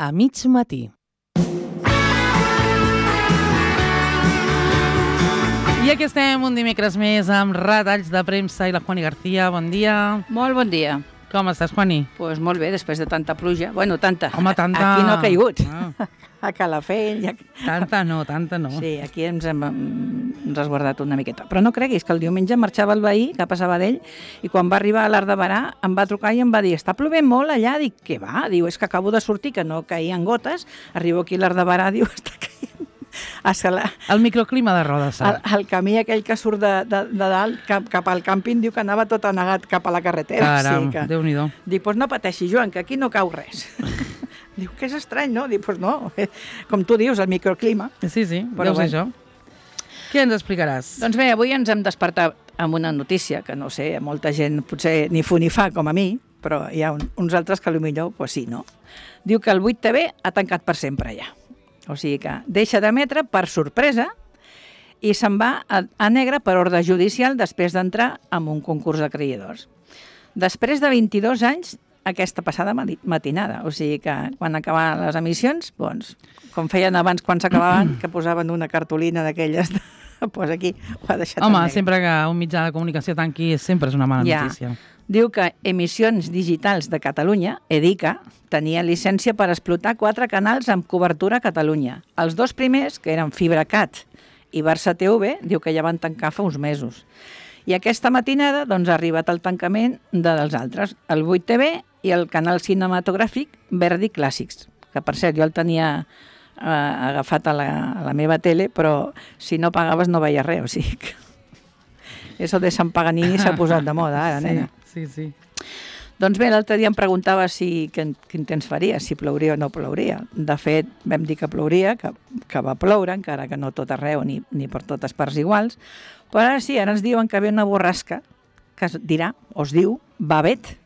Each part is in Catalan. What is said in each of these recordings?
a mig matí. I aquí estem un dimecres més amb retalls de premsa i la Juani García. Bon dia. Molt bon dia. Com estàs, Juani? Doncs molt bé, després de tanta pluja. Bueno, tanta. Home, tanta... Aquí no ha caigut. A Calafell. Tanta no. Sí, aquí ens hem resguardat una miqueta. Però no creguis que el diumenge marxava el veí cap a Sabadell i quan va arribar a l'Arc de Berà em va trucar i em va dir: està plovent molt allà. Dic, què va? Diu, és que acabo de sortir, que no caïen gotes. Arribo aquí a l'Arc de Berà, diu, està caient. El microclima de Rodes. El camí aquell que surt de dalt cap al càmping diu que anava tot anegat cap a la carretera. Caram, sí que... Déu-n'hi-do. Dic, doncs no pateixi, Joan, que aquí no cau res. Diu, que és estrany, no? Dic, doncs no, com tu dius, el microclima. Sí, però deu ser això. Què ens explicaràs? Doncs bé, avui ens hem despertat amb una notícia que no sé, molta gent potser ni fu ni fa com a mi, però hi ha uns altres que potser pues sí, no? Diu que el 8TV ha tancat per sempre ja. O sigui que deixa d'emetre per sorpresa i se'n va a negre per ordre judicial després d'entrar en un concurs de creadors. Després de 22 anys, aquesta passada matinada. O sigui que quan acabaven les emissions, doncs, com feien abans quan s'acabaven, que posaven una cartolina d'aquelles, doncs aquí ho ha deixat en negre. Home, sempre que un mitjà de comunicació tanqui sempre és una mala notícia. Diu que Emissions Digitals de Catalunya, EDICA, tenia llicència per explotar 4 canals amb cobertura a Catalunya. Els 2 primers, que eren FibraCat i Barça TV, diu que ja van tancar fa uns mesos. I aquesta matinada doncs, ha arribat el tancament dels altres, el 8TV i el canal cinematogràfic Verdi Clàssics, que per cert jo el tenia agafat a la meva tele, però si no pagaves no veies res, o sigui que... Eso de Sant Paganini s'ha posat de moda ara, nena. Sí. Doncs bé, l'altre dia em preguntava quin temps faria, si plouria o no plouria. De fet, vam dir que plouria, que va ploure, encara que no tot arreu ni per totes parts iguals. Però ara sí, ara ens diuen que ve una borrasca que es diu Babet,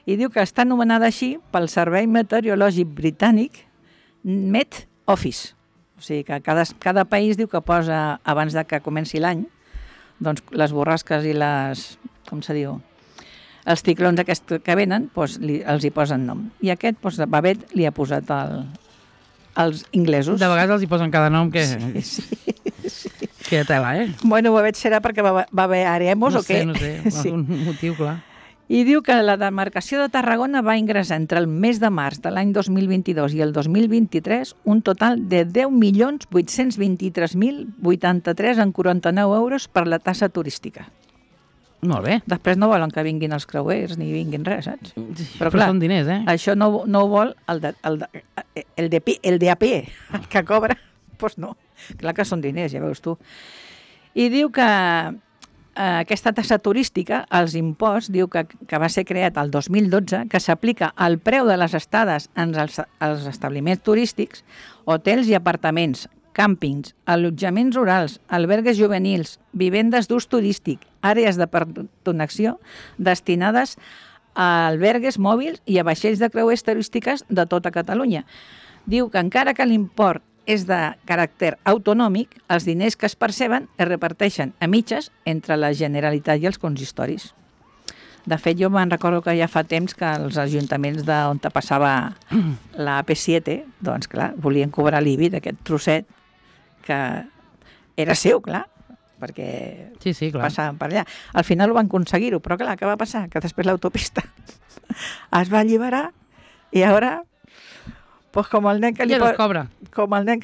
i diu que està anomenada així pel Servei Meteorològic Britànic Met Office. O sigui que cada país diu que posa, abans de que comenci l'any, doncs les borrasques i com se diu, els ciclons aquests que venen, doncs els hi posen nom. I aquest, doncs, Babet li ha posat els inglesos. De vegades els hi posen cada nom que... Sí. Que tela, Bueno, Babet serà perquè va haver Aremos o què? No sé, sí. Un motiu, clar. I diu que la demarcació de Tarragona va ingressar entre el mes de març de l'any 2022 i el 2023 un total de 10.823.083,49 euros per la tassa turística. Molt bé. Després no volen que vinguin els creuers ni vinguin res, saps? Sí, però clar, són diners, Això no ho vol el de a pie, el que cobra, doncs no. Clar que són diners, ja veus tu. I diu que aquesta tassa turística, els imposts, diu que va ser creat el 2012, que s'aplica al preu de les estades en els establiments turístics, hotels i apartaments, càmpings, allotjaments rurals, albergues juvenils, vivendes d'ús turístic, àrees de pertonació destinades a albergues mòbils i a vaixells de creuers turístiques de tota Catalunya. Diu que encara que l'import és de caràcter autonòmic, els diners que es perceben es reparteixen a mitges entre la Generalitat i els consistoris. De fet, jo me'n recordo que ja fa temps que els ajuntaments d'on passava la AP7, doncs clar, volien cobrar l'IBI d'aquest trosset que era seu, clar, perquè sí, clar, passaven per allà. Al final ho van aconseguir-ho, però clar, què va passar? Que després l'autopista es va alliberar i ara... Pues com el nen que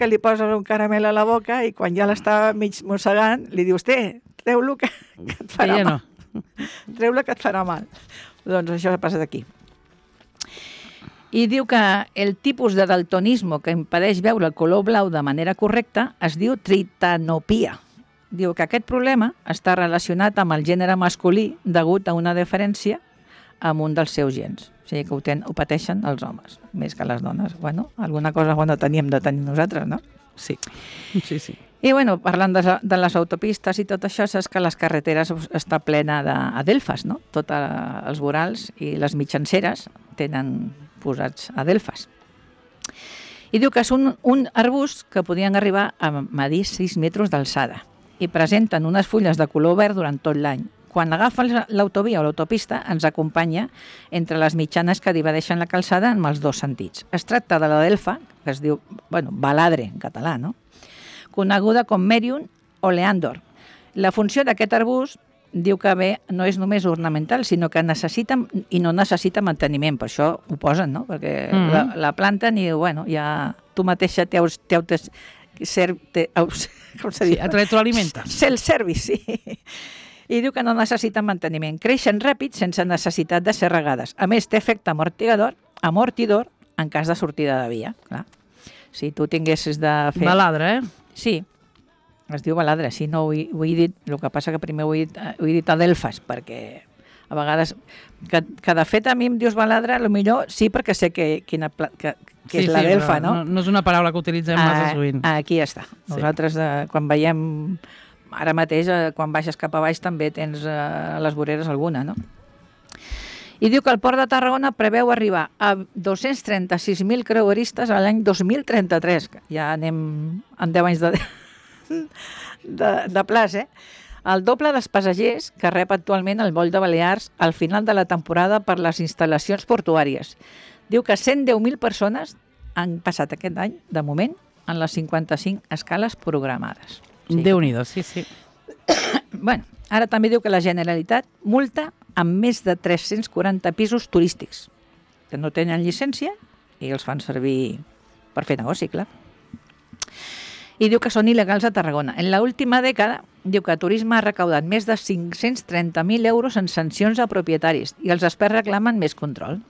li posa un caramel a la boca i quan ja l'està mig mossegant li dius, treu-lo que et farà mal. Treu-lo que et farà mal. Doncs això ha passat aquí. I diu que el tipus de daltonisme que impedeix veure el color blau de manera correcta es diu tritanopia. Diu que aquest problema està relacionat amb el gènere masculí degut a una diferència amb un dels seus gens. O sigui que ho pateixen els homes, més que les dones. Bueno, alguna cosa bona teníem de tenir nosaltres, no? Sí. I bueno, parlant de les autopistes i tot això, saps que les carreteres està plena d'adelfes, no? Tots els vorals i les mitjanceres tenen posats adelfes. I diu que és un arbust que podien arribar a medir 6 metres d'alçada i presenten unes fulles de color verd durant tot l'any. quan agafa l'autovia o l'autopista ens acompanya entre les mitjanes que divideixen la calçada en els dos sentits. Es tracta de la Delfa, que es diu, baladre en català, no? Coneguda com Merion o Leandor. La funció d'aquest arbust diu que bé, no és només ornamental, sinó que necessita i no necessita manteniment, per això ho posen, no? Perquè la planten i, ja tu mateixa com se diu? Et retroalimenta. Self-service, sí. I diu que no necessita manteniment. Creixen ràpid sense necessitat de ser regades. A més, té efecte amortidor en cas de sortida de via. Clar. Si tu tinguessis de fer... Baladre, Sí, es diu baladre, sí, no ho he dit, el que passa que primer ho he dit a Delfas, perquè a vegades, que de fet a mi em dius baladre, potser sí, perquè sé que és la Delfa, no? No és una paraula que utilitzem massa sovint. Aquí està. Nosaltres, quan veiem, ara mateix, quan baixes cap a baix, també tens a les voreres alguna, no? I diu que el Port de Tarragona preveu arribar a 236.000 creueristes a l'any 2033. Ja anem en 10 anys de plaç, El doble dels passatgers que rep actualment el Vol de Balears al final de la temporada per les instal·lacions portuàries. Diu que 110.000 persones han passat aquest any, de moment, en les 55 escales programades. Déu-n'hi-do, sí. Ara també diu que la Generalitat multa amb més de 340 pisos turístics que no tenen llicència i els fan servir per fer negoci, clar. I diu que són il·legals a Tarragona. En l'última dècada, diu que Turisme ha recaudat més de 530.000 euros en sancions a propietaris i els experts reclamen més control.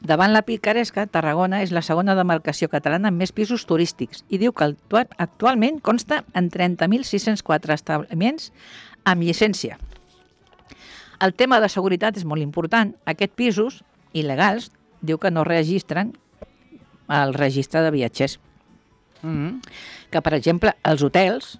Davant la picaresca, Tarragona és la segona demarcació catalana amb més pisos turístics i diu que actualment consta en 30.604 establiments amb llicència. El tema de seguretat és molt important. Aquests pisos il·legals diu que no registren el registre de viatgers. Que, per exemple, els hotels,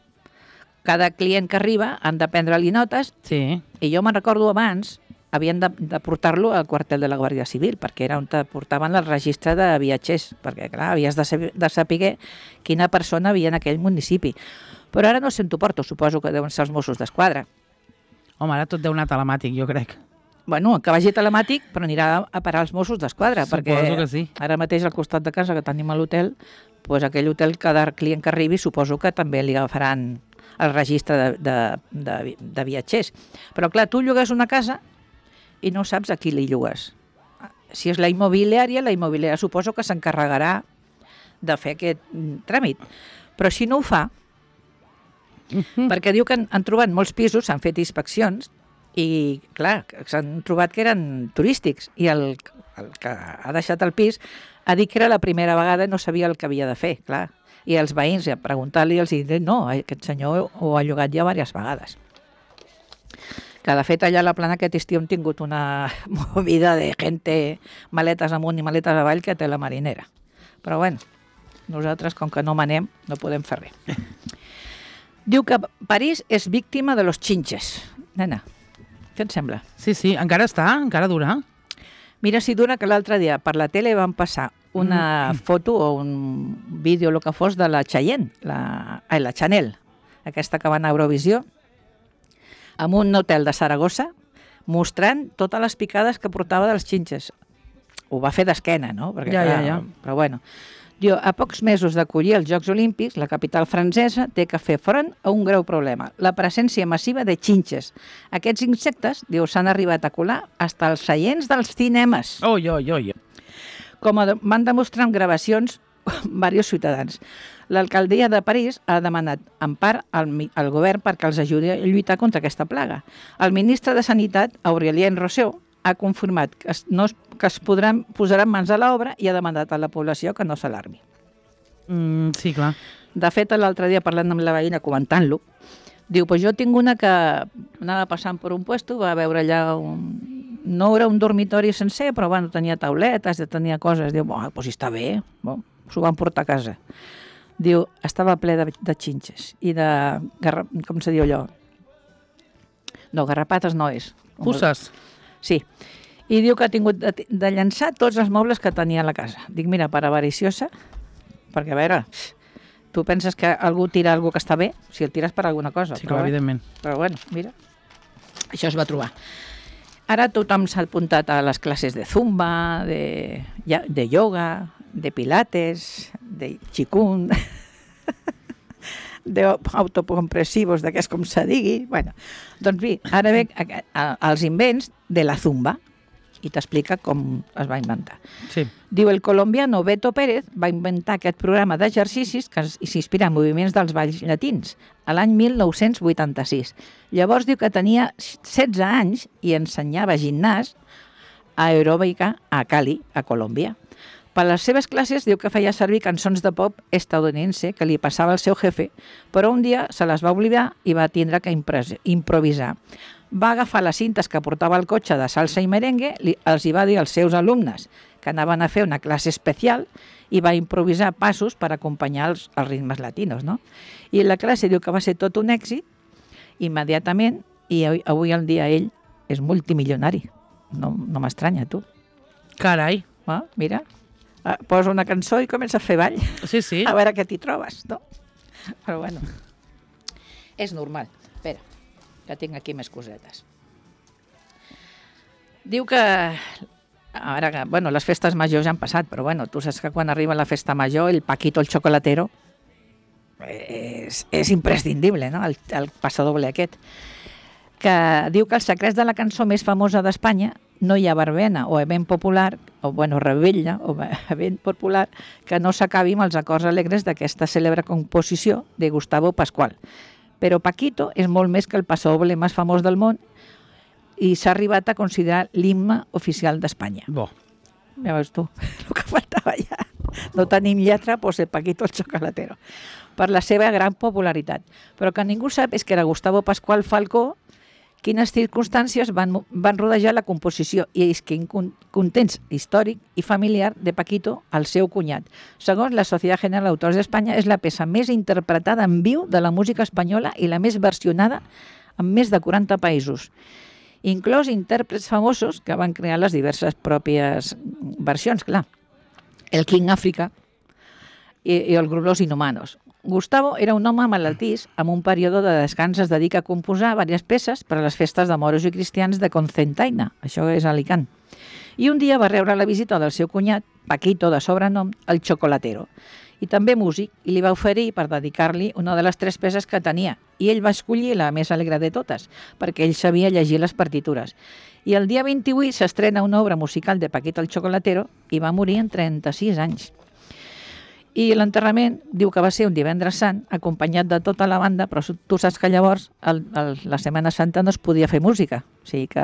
cada client que arriba han de prendre-li notes i jo me'n recordo abans havien de portar-lo al quartel de la Guàrdia Civil perquè era on te portaven el registre de viatgers, perquè clar, havies de saber quina persona havia en aquell municipi. Però ara no sé on t'ho porto, suposo que deuen ser els Mossos d'Esquadra. Home, ara tot deu anar telemàtic, jo crec. Que vagi telemàtic, però anirà a parar als Mossos d'Esquadra, perquè que sí. Ara mateix al costat de casa que tenim a l'hotel, aquell hotel, cada client que arribi, suposo que també li agafaran el registre de viatgers. Però clar, tu llogues una casa i no saps a qui li llogues. Si és la immobiliària suposo que s'encarregarà de fer aquest tràmit. Però si no ho fa, perquè diu que han trobat molts pisos, s'han fet inspeccions i, clar, s'han trobat que eren turístics i el que ha deixat el pis ha dit que era la primera vegada i no sabia el que havia de fer, clar. I els veïns, a preguntar-li, els diuen, no, aquest senyor ho ha llogat ja diverses vegades. Que, de fet, allà a la Plana aquest estiu hem tingut una movida de gente, maletes amunt i maletes avall, que té la marinera. Però, nosaltres, com que no manem, no podem fer res. Diu que París és víctima de los chinches. Nena, què et sembla? Sí, encara encara dura. Mira si dura que l'altre dia per la tele van passar una foto o un vídeo, el que fos, de la Cheyenne, la Chanel, aquesta que va anar a Eurovisió, en un hotel de Saragossa, mostrant totes les picades que portava dels xinxes. Ho va fer d'esquena, no? Perquè, Ja. Però diu, a pocs mesos d'acollir els Jocs Olímpics, la capital francesa té que fer front a un greu problema, la presència massiva de xinxes. Aquests insectes, diu, s'han arribat a colar fins als seients dels cinemes. Com van demostrar en gravacions diversos ciutadans. L'alcaldia de París ha demanat en part al govern perquè els ajudi a lluitar contra aquesta plaga. El ministre de Sanitat, Aurélien Rousseau, ha confirmat que es posaran mans a l'obra i ha demanat a la població que no s'alarmi. Sí, clar. De fet, l'altre dia parlant amb la veïna, comentant-lo, diu, jo tinc una que anava passant per un puesto, va veure allà no era un dormitori sencer, però tenia tauletes, tenia coses. Diu, doncs està bé, s'ho van portar a casa. Diu, estava ple de xinxes i de, com se diu allò? No, garrapates no és. Puces. Sí. I diu que ha tingut de llançar tots els mobles que tenia a la casa. Dic, mira, per avariciosa, perquè a veure, tu penses que algú tira alguna que està bé, si el tires per alguna cosa. Sí, clar, evidentment. Però mira. Això es va trobar. Ara tothom s'ha apuntat a les classes de zumba, de ioga, de pilates, de qigong, d'autocompressivos, d'aquests com se digui. Bueno, doncs bé, ara ve els invents de la zumba i t'explica com es va inventar. Sí. Diu, el colombiano Beto Pérez va inventar aquest programa d'exercicis que s'inspira en moviments dels balls llatins a l'any 1986. Llavors diu que tenia 16 anys i ensenyava gimnàs aeròbica a Cali, a Colòmbia. Per les seves classes diu que feia servir cançons de pop estadounidense que li passava al seu jefe, però un dia se les va oblidar i va tindre que improvisar. Va agafar les cintes que portava al cotxe de salsa i merengue, els hi va dir als seus alumnes que anaven a fer una classe especial i va improvisar passos per acompanyar els ritmes latinos, no? I la classe diu que va ser tot un èxit immediatament i avui en dia ell és multimilionari. No m'estranya, tu. Carai. Mira, posa una cançó i comença a fer ball. Sí, sí. A veure què t'hi trobes, no? Però bueno, és normal. Espera, que tinc aquí més cosetes. Diu que ara, bueno, les festes majors ja han passat, però bueno, tu saps que quan arriba la festa major el Paquito el Chocolatero és imprescindible, no? El passadoble aquest. Que diu que els secrets de la cançó més famosa d'Espanya no hi ha verbena o event popular, o bueno, rebella o event popular, que no s'acabi amb els acords alegres d'aquesta cèlebre composició de Gustavo Pascual. Però Paquito és molt més que el passadoble més famós del món i s'ha arribat a considerar l'himne oficial d'Espanya. Bo. Ja veus tu, el que faltava ja. No tenim lletra, doncs el Paquito el Chocolatero. Per la seva gran popularitat. Però que ningú sap és que era Gustavo Pascual Falcó quines circumstàncies van rodejar la composició i és que context històric i familiar de Paquito al seu cunyat. Segons la Societat General d'Autors d'Espanya, és la peça més interpretada en viu de la música espanyola i la més versionada en més de 40 països, inclòs intèrprets famosos que van crear les diverses pròpies versions, clar. El King Africa i el grup Los Inhumanos. Gustavo era un home malaltís, amb un període de descans es dedica a composar diverses peces per a les festes de moros i cristians de Cocentaina, això és Alicant. I un dia va rebre la visita del seu cunyat, Paquito de sobrenom, el Chocolatero, i també músic, i li va oferir per dedicar-li una de les 3 peces que tenia, i ell va escollir la més alegre de totes, perquè ell sabia llegir les partitures. I el dia 28 s'estrena una obra musical de Paquito el Chocolatero i va morir en 36 anys. I l'enterrament diu que va ser un divendres sant, acompanyat de tota la banda, però tu saps que llavors la Setmana Santa no es podia fer música. O sigui que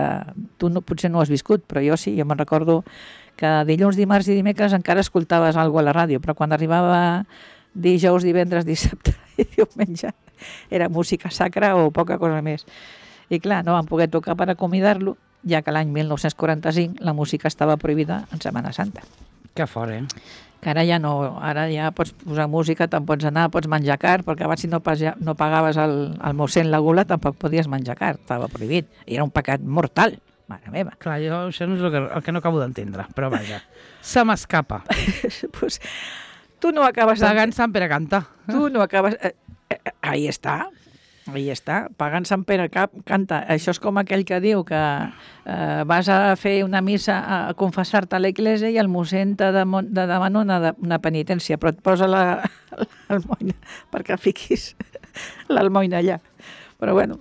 tu potser no ho has viscut, però jo sí, jo me'n recordo que dilluns, dimarts i dimecres encara escoltaves alguna cosa a la ràdio, però quan arribava dijous, divendres, dissabte i diumenge era música sacra o poca cosa més. I clar, no van poder tocar per acomiadar-lo, ja que l'any 1945 la música estava prohibida en Setmana Santa. Que fort, Que ara ja no, ara ja pots posar música, te'n pots anar, pots menjar car, perquè abans si no pagaves el mossèn la gula tampoc podies menjar car, estava prohibit. I era un pecat mortal, mare meva. Clar, jo això no és el que no acabo d'entendre, però vaja, se m'escapa. Pues, tu no acabes... Pagant Sant Pere canta. Tu no acabes... Ahí està, pagant Sant Pere canta. Això és com aquell que diu que vas a fer una missa a confessar-te a l'església i el mossèn te demana una penitència, però et posa l'almoina perquè fiquis l'almoina allà. Però bueno,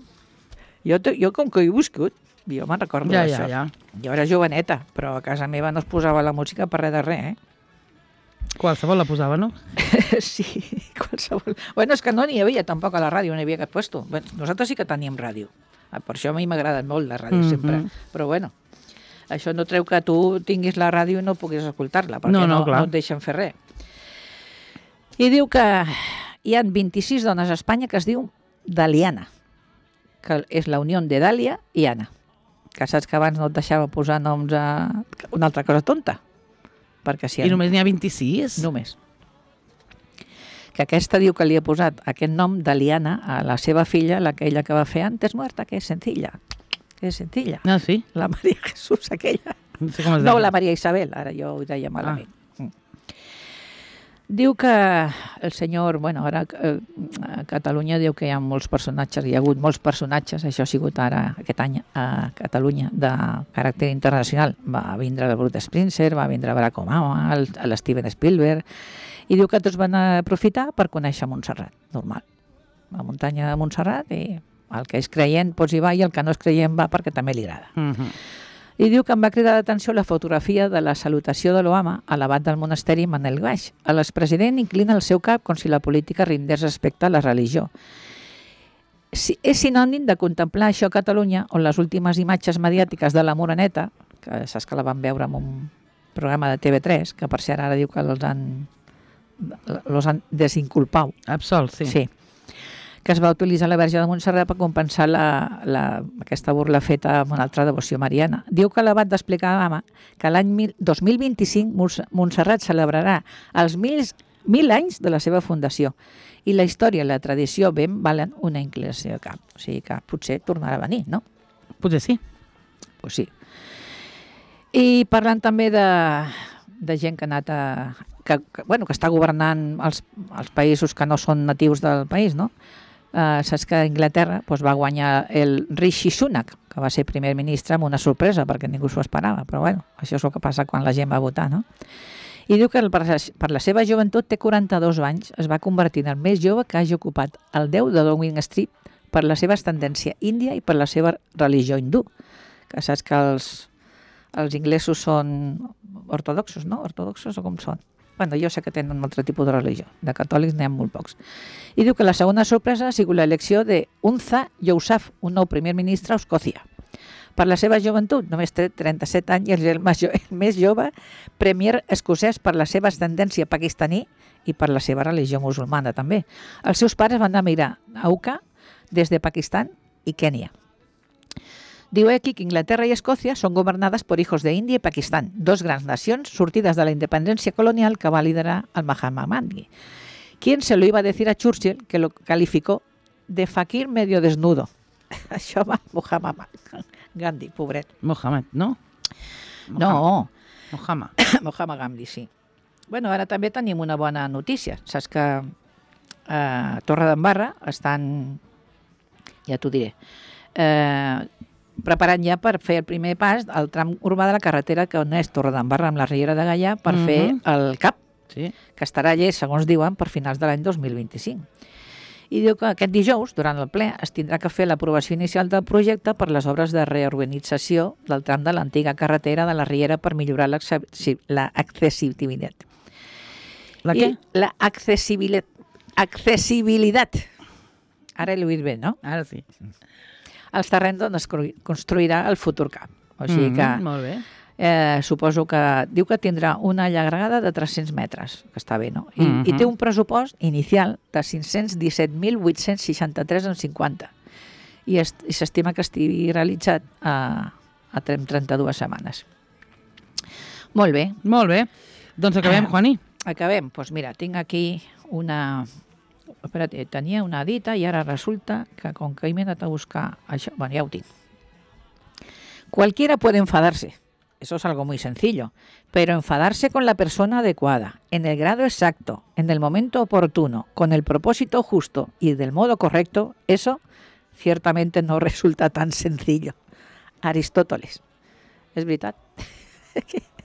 jo com que he viscut, jo me'n recordo d'això. Jo era joveneta, però a casa meva no es posava la música per res de res, Qualsevol la posava, no? Sí, qualsevol. Bueno, és que no n'hi havia tampoc a la ràdio, no hi havia cap puesto. Nosaltres sí que teníem ràdio. Per això a mi m'ha agradat molt la ràdio sempre. Però bueno, això no treu que tu tinguis la ràdio i no puguis escoltar-la, perquè no et deixen fer res. I diu que hi ha 26 dones a Espanya que es diu Daliana, que és la unió de Dàlia i Anna. Que saps que abans no et deixava posar noms a una altra cosa tonta. Si I només n'hi ha 26? Només. Que aquesta diu que li ha posat aquest nom d'Aliana a la seva filla, aquella que va fer antes muerta, que és sencilla. Que és sencilla. Ah, sí? La Maria Jesús, aquella. No sé com es no, la Maria Isabel, ara jo ho deia malament. Diu que el senyor, bueno, ara a Catalunya diu que hi ha molts personatges, hi ha hagut molts personatges, això ha sigut ara aquest any a Catalunya de caràcter internacional. Va vindre el Bruce Springsteen, va vindre Barack Obama, l'Steven Spielberg, i diu que tots van aprofitar per conèixer Montserrat, normal. La muntanya de Montserrat, i el que és creient doncs hi va, i el que no és creient va perquè també li agrada. I diu que em va cridar l'atenció la fotografia de la salutació de l'Obama a l'abat del monasteri Manel Baix. L'expresident inclina el seu cap com si la política rindés respecte a la religió. És sinònim de contemplar això a Catalunya, on les últimes imatges mediàtiques de la Moreneta, que saps que la van veure en un programa de TV3, que per cert ara diu que els han desinculpat. Absolt, sí. Sí, que es va utilitzar la Verge de Montserrat per compensar aquesta burla feta amb una altra devoció mariana. Diu que l'abat d'explicar que l'any 2025 Montserrat celebrarà els 1.000 anys de la seva fundació, i la història i la tradició ben valen una inclinació de cap. O sigui que potser tornarà a venir, no? Potser sí. Pues sí. I parlant també de gent que ha anat que està governant els països que no són natius del país, no? Saps que a Anglaterra va guanyar el Rishi Sunak, que va ser primer ministre, amb una sorpresa, perquè ningú s'ho esperava, però bueno, això és el que passa quan la gent va votar, no? I diu que per la seva joventut, té 42 anys, es va convertir en el més jove que hagi ocupat el 10 de Downing Street per la seva ascendència índia i per la seva religió hindú, que saps que els inglesos són ortodoxos, no? Ortodoxos o com són? Bueno, jo sé que tenen un altre tipus de religió. De catòlics n'hi ha molt pocs. I diu que la segona sorpresa ha sigut l'elecció d'Unza Yousaf, un nou primer ministre a Escòcia. Per la seva joventut, només té 37 anys, i és el més jove premier escocès per la seva ascendència pakistaní i per la seva religió musulmana també. Els seus pares van emigrar a UCA des de Pakistan i Kènia. Diu aquí que Inglaterra i Escòcia són governades per hijos de Índia i Pakistan, dos grans nacions sortides de la independència colonial que va liderar el Mahatma Gandhi, quien se lo iba a decir a Churchill, que lo calificó de fakir medio desnudo. Això va Mahatma Gandhi, pobret. Mohamed, no? No. Mohamed Gandhi, sí. Bueno, ara també tenim una bona notícia. Saps que a Torredembarra estan, ja t'ho diré, preparant ja per fer el primer pas al tram urbà de la carretera que uneix Torredembarra amb la Riera de Gaià per fer el CAP, que estarà llest, segons diuen, per finals de l'any 2025. I diu que aquest dijous, durant el ple, es tindrà que fer l'aprovació inicial del projecte per les obres de reorganització del tram de l'antiga carretera de la Riera per millorar l'accessibilitat. La què? L'accessibilitat. Ara l'he dit bé, no? Ara sí. Els terrenys on es construirà el futur CAP. O sigui que molt bé. Suposo que diu que tindrà una llargada de 300 metres, que està bé, no? I té un pressupost inicial de 517.863,50 i s'estima que estigui realitzat a 32 setmanes. Molt bé. Molt bé. Doncs acabem, Juani. Acabem. Doncs mira, tinc aquí una... Espera't, tenia una dita i ara resulta que com que he anat a buscar això... Bueno, ja ho tinc. Cualquiera puede enfadarse. Eso es algo muy sencillo. Pero enfadarse con la persona adecuada, en el grado exacto, en el momento oportuno, con el propósito justo y del modo correcto, eso ciertamente no resulta tan sencillo. Aristóteles. És veritat?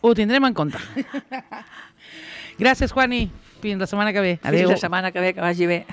Ho tindrem en compte. Gràcies, Juani. Fins la setmana que ve. Adéu. Fins la setmana que ve, que vagi bé.